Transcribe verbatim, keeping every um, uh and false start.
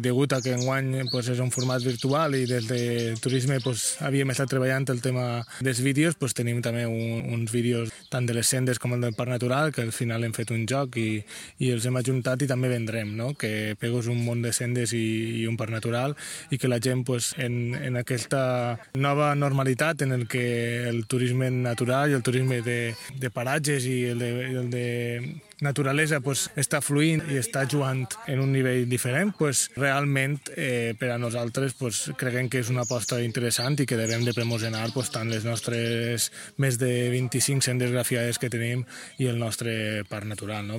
Degut a que enguany pues, és un format virtual i des de turisme pues, havíem estat treballant el tema dels vídeos, pues, tenim també un, uns vídeos tant de les sendes com el del Parc Natural, que al final hem fet un joc i, i els hem ajuntat i també vendrem, no? Que Pego és un món de sendes i, i un parc natural i que la gent pues, en, en aquesta nova normalitat en el que el turisme natural i el turisme de, de paratges i el de, el de naturalesa pues, està fluint i està jugant en un nivell diferent, pues, realment eh, per a nosaltres pues, creiem que és una aposta interessant i que devem de promocionar pues, tant les nostres més de vint-i-cinc sendes grafiades que tenim i el nostre parc natural. No?